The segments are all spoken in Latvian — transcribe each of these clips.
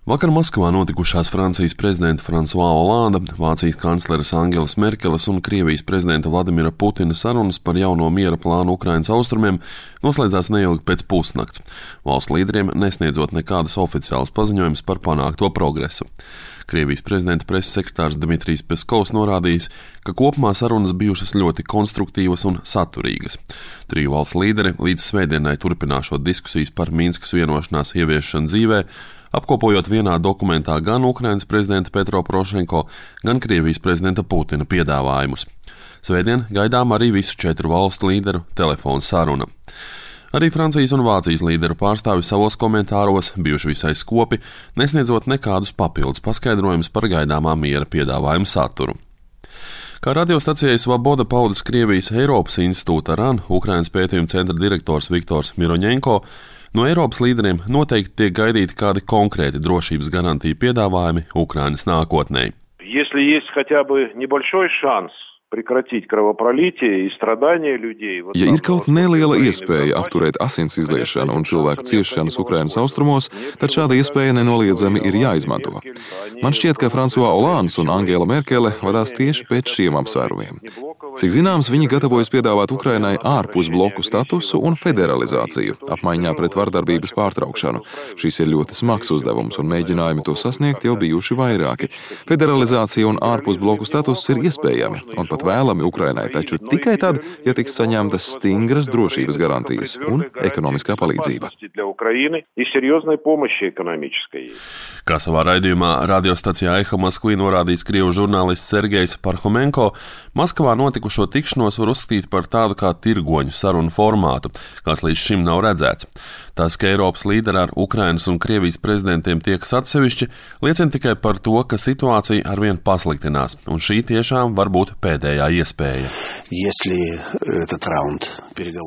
Vakar Maskavā notikušās Francijas prezidenta François Hollanda, Vācijas kancleres Angelas Merkeles un Krievijas prezidenta Vladimira Putina sarunas par jauno miera plānu Ukrainas austrumiem noslēdzās neilgi pēc pusnakts, valstu līderiem nesniedzot nekādus oficiālus paziņojumus par panākto progresu. Krievijas prezidenta preses sekretārs Dmitrijs Peskovs norādījis, ka kopumā sarunas bijušas ļoti konstruktīvas un saturīgas. Triju valstu līderi līdz svētdienai turpināšot diskusijas par Minskas vienošanās ieviešanu dzīvē, apkopojot vienā dokumentā gan Ukrainas prezidenta Petro Porošenko, gan Krievijas prezidenta Putina piedāvājumus. Svētdien gaidām arī visu 4 valstu līderu telefonu saruna. Arī Francijas un Vācijas līderu pārstāvi savos komentāros bijuši visai skopi, nesniedzot nekādus papildus paskaidrojumus par gaidāmā miera piedāvājumu saturu. Kā radiostacijai Svaboda paudis Krievijas Eiropas institūta RAN Ukrainas pētījuma centra direktors Viktors Miroņenko, no Eiropas līderiem noteikti tiek gaidīti kādi konkrēti drošības garantiju piedāvājumi Ukrainas nākotnē. Ja ir kaut neliela iespēja apturēt asins izliešanu un cilvēku ciešanas Ukrainas austrumos, tad šāda iespēja nenoliedzami ir jāizmanto. Man šķiet, ka François Hollands un Angela Merkele vadās tieši pēc šiem apsvērumiem. Cik zināms, viņi gatavojas piedāvāt Ukrainai ārpus bloku statusu un federalizāciju, apmaiņā pret vardarbības pārtraukšanu. Šis ir ļoti smags uzdevums, un mēģinājumi to sasniegt jau bijuši vairāki. Federalizācija un ārpus bloku status ir iespējami, un pat vēlami Ukrainai, taču tikai tad, ja tiks saņemtas stingras drošības garantijas un ekonomiskā palīdzība. Kā savā raidījumā radiostacijā Eho Moskvī norādījis krievu žurnālists Sergejs Parhomenko, Maskavā notikušo tikšanos var uzskatīt par tādu kā tirgoņu sarunu formātu, kas līdz šim nav redzēts. Tas, ka Eiropas līderi ar Ukrainas un Krievijas prezidentiem tiekas atsevišķi, liecina tikai par to, ka situācija arvien pasliktinās, un šī tiešām var būt pēdējā iespēja.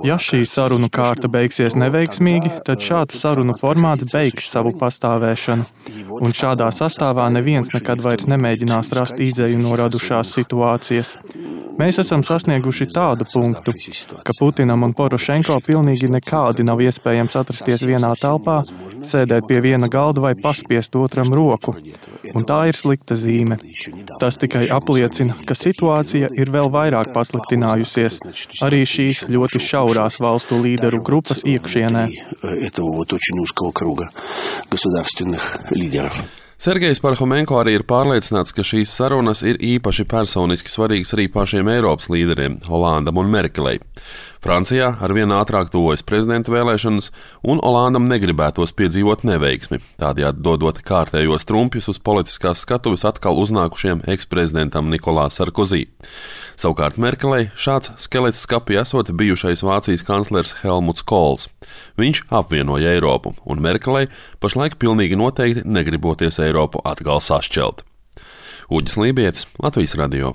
Ja šī sarunu kārta beigsies neveiksmīgi, tad šāds sarunu formāts beigs savu pastāvēšanu, un šādā sastāvā neviens nekad vairs nemēģinās rast izēju no radušās situācijas. Mēs esam sasnieguši tādu punktu, ka Putinam un Porošenko pilnīgi nekādi nav iespējams atrasties vienā telpā, sēdēt pie viena galda vai paspiest otram roku, un tā ir slikta zīme. Tas tikai apliecina, ka situācija ir vēl vairāk pasliktinājusies arī šīs ļoti šaurās valstu līderu grupas iekšienē. Sergejs Parhomenko arī ir pārliecināts, ka šīs sarunas ir īpaši personiski svarīgas arī pašiem Eiropas līderiem, Hollandam un Merkelei. Francijā arvien ātrāk tuvojas prezidenta vēlēšanas, un Hollandam negribētos piedzīvot neveiksmi, tādējādi dodot kārtējos trumpjus uz politiskās skatuves atkal uznākušiem eksprezidentam Nikolā Sarkozī. Savukārt Merkelei šāds skelets skapī esot bijušais Vācijas kanclers Helmuts Kohls. Viņš apvienoja Eiropu, un Merkelei pašlaik pilnīgi noteikti negriboties Eiropu atkal sašķelt. Uģis Lībietis, Latvijas radio.